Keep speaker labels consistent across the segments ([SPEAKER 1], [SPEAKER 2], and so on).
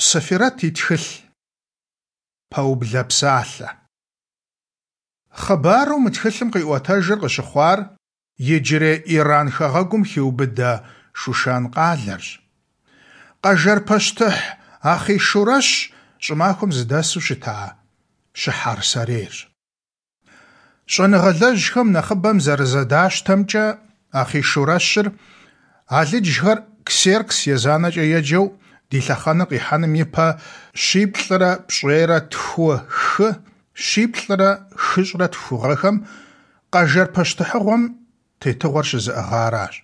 [SPEAKER 1] Сэфирэт и тхылъ. Пэублэ псалъэ. Хъыбару мы тхылъым къиӏуэтэжыр къыщыхъуар иджырей Иран хэгъэгум хиубыдэ Шушан къалэрщ. Къэжэр пащтыхь Ахъийшурэщ щӏымахуэм зыдэсу щыта щыхьэр сэрейрщ. Щӏэныгъэлэжьхэм нэхъыбэм зэрызэдащтэмкӏэ, Ахъийшурэщыр алыджхэр Ксеркс езанэкӏэ еджэу ди лъэхъэнэр къихьэным ипэ 772-3 742 гъэхэм Къэжэр пащтыхьыгъуэм тетыгъуэр щызыӏыгъаращ.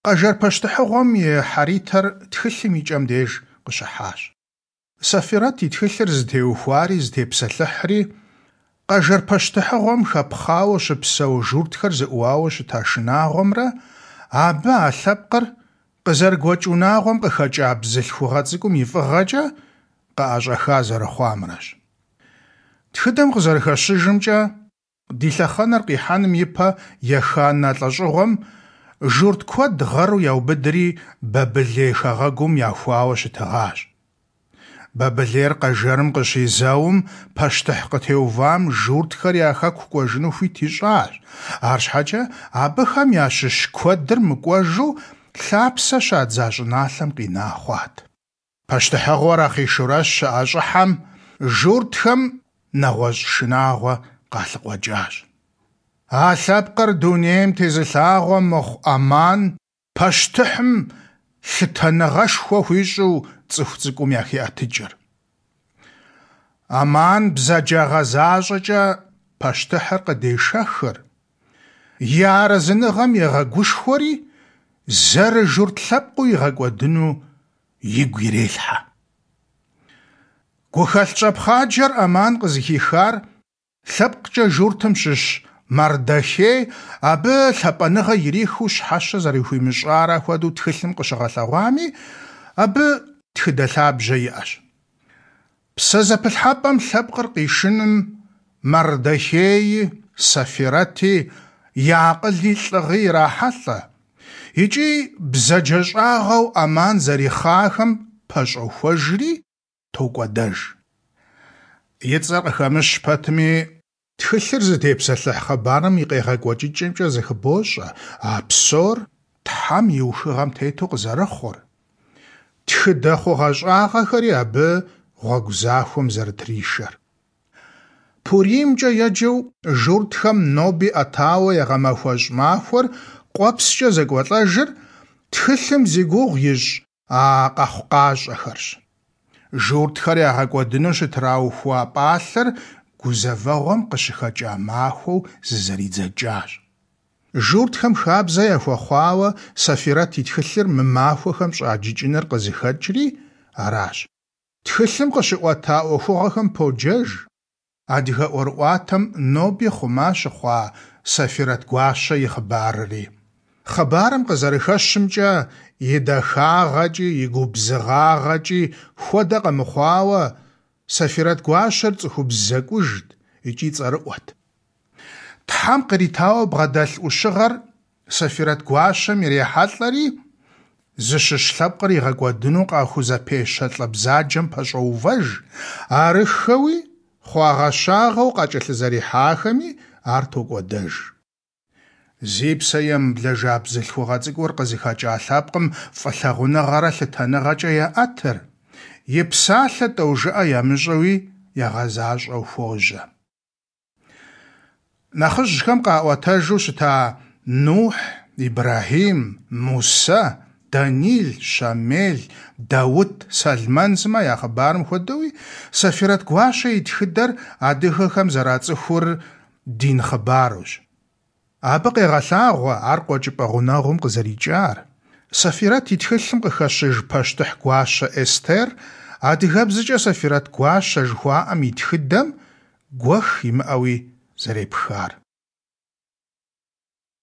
[SPEAKER 1] Къэжэр пащтыхьыгъуэм и хьэритэр тхылъым и кӏэм деж къыщыхьащ. Сэфирэт и тхылъыр зытеухуари зытепсэлъыхьри Къэжэр пащтыхьыгъуэм хэпхъауэ щыпсэу журтхэр зыӏууауэ щыта шынагъуэмрэ абы а лъэпкъыр къызэрыгуэкӏ унагъуэм къыхэкӏа бзылъхугъэ цӏыкӏум и фӏыгъэкӏэ къыӏэщӏэха зэрыхъуамрэщ. Тхыдэм къызэрыхэщыжымкӏэ, ди лъэхъэнэр къихьэным ипэ еханэ лӏэщӏыгъуэм журт куэд гъэру яубыдри Бабылей хэгъэгум яхуауэ щытыгъащ. Бабылейр Къэжэрым къыщизэум, пащтыхь къытеувам журтхэр я хэку кӏуэжыну хуит ищӏащ, арщхьэкӏэ абыхэм ящыщ куэдыр мыкӏуэжу лъапсэ щадза щӏыналъэм къина хъуат. Пащтыхьыгъуэр Ахъийшурэщ щыӏэщӏыхьэм, журтхэм нэгъуэщӏ шынагъуэ къалъыкъуэкӏащ. А лъэпкъыр дунейм тезылъагъуэ мыхъу Аман пащтыхьым лъытэныгъэшхуэ хуищӏу цӏыху цӏыкӏум яхеӏэтыкӏыр. Аман бзаджагъэ защӏэкӏэ пащтыхьыр къыдешэхыр, и арэзыныгъэм егъэгушхуэри, зэрыжурт лъэпкъыу игъэкӏуэдыну игу ирелъхьэ. Гухэлъ щӏэпхъаджэр Аман къызыхихар лъэпкъкӏэ журтым щыщ Мардохей абы лъапӏэныгъэ ирихыу щхьэщэ зэрыхуимыщӏара хуэдэу тхылъым къыщыгъэлъэгъуами, абы тхыдэ лъабжьэ иӏэщ. Псэзэпылъхьэпӏэм лъэпкъыр къишыным Мардохеи, Сэфирэти я акъыли лӏыгъи ирахьэлӏэ, икӏи бзаджэщӏагъэу Аман зэрихъахэм пэщӏохуэжри, токӏуэдэж. И цӏэр къыхэмыщ пэтми, тхылъыр зытепсэлъыхь хъыбарым и къегъэкӏуэкӏыкӏэмкӏэ зыхыбощӏэ а псор Тхьэм и ухыгъэм тету къызэрыхъур, тхыдэ хъугъэщӏагъэхэри абы гъуэгу захуэм зэрытришэр. Пуримкӏэ еджэу журтхэм ноби ӏэтауэ ягъэмэхуэщӏ махуэр къуэпскӏэ зэкӏуэлӏэжыр тхылъым зи гугъу ищӏ а къэхъукъащӏэхэрщ. Журтхэр ягъэкӏуэдыну щытраухуа пӏалъэр гузэвэгъуэм къыщыхэкӏа махуэу зызэридзэкӏащ. Журтхэм хабзэ яхуэхъуауэ Сэфирэт и тхылъыр мы махуэхэм щӏаджыкӏыныр къызыхэкӏри аращ. Тхылъым къыщыӏуэта ӏуэхугъуэхэм поджэж адыгэ ӏуэрыӏуатэм ноби хъума щыхъуа Сэфирэт гуащэ и хъыбарри. Хъыбарым къызэрыхэщымкӏэ, и дахагъэкӏи, и губзыгъагъэкӏи хуэдэ къэмыхъуауэ, Сэфирэт гуащэр цӏыхубз зэкӏужт икӏи цӏэрыӏуэт. Тхьэм къритауэ бгъэдэлъ ӏущыгъэр Сэфирэт гуащэм ирехьэлӏэри, зыщыщ лъэпкъыр игъэкӏуэдыну къахузэпещэ лӏы бзаджэм пэщӏоувэж, арыххэуи хъуагъэщагъэу къакӏэлъызэрихьахэми ар токӏуэдэж. Зи псэ емыблэжа бзылъхугъэ цӏыкӏур къызыхэкӏа лъэпкъым фӏылъагъуныгъэрэ лъытэныгъэкӏэ яӏэтыр, и псалъэ тӏэужыӏэ ямыщӏэуи ягъэзащӏэу хуожьэ. Нэхъыжьхэм къаӏуэтэжу щыта Нухь, Ибрэхьим, Мусэ, Данил, Щамел, Даут, Сэлмэн сымэ я хъыбарым хуэдэуи, Сэфирэт гуащэ и тхыдэр адыгэхэм зэрацӏыхур дин хъыбарущ. Абы къегъэлъагъуэ ар Къуэкӏыпӏэ Гъунэгъум къызэрикӏар. Сэфирэт и тхылъым къыхэщыж пащтыхь гуащэ Эстер адыгэбзэкӏэ Сэфирэт гуащэ жыхуаӏэм и тхыдэм гуэх имыӏэуи зэрепхар.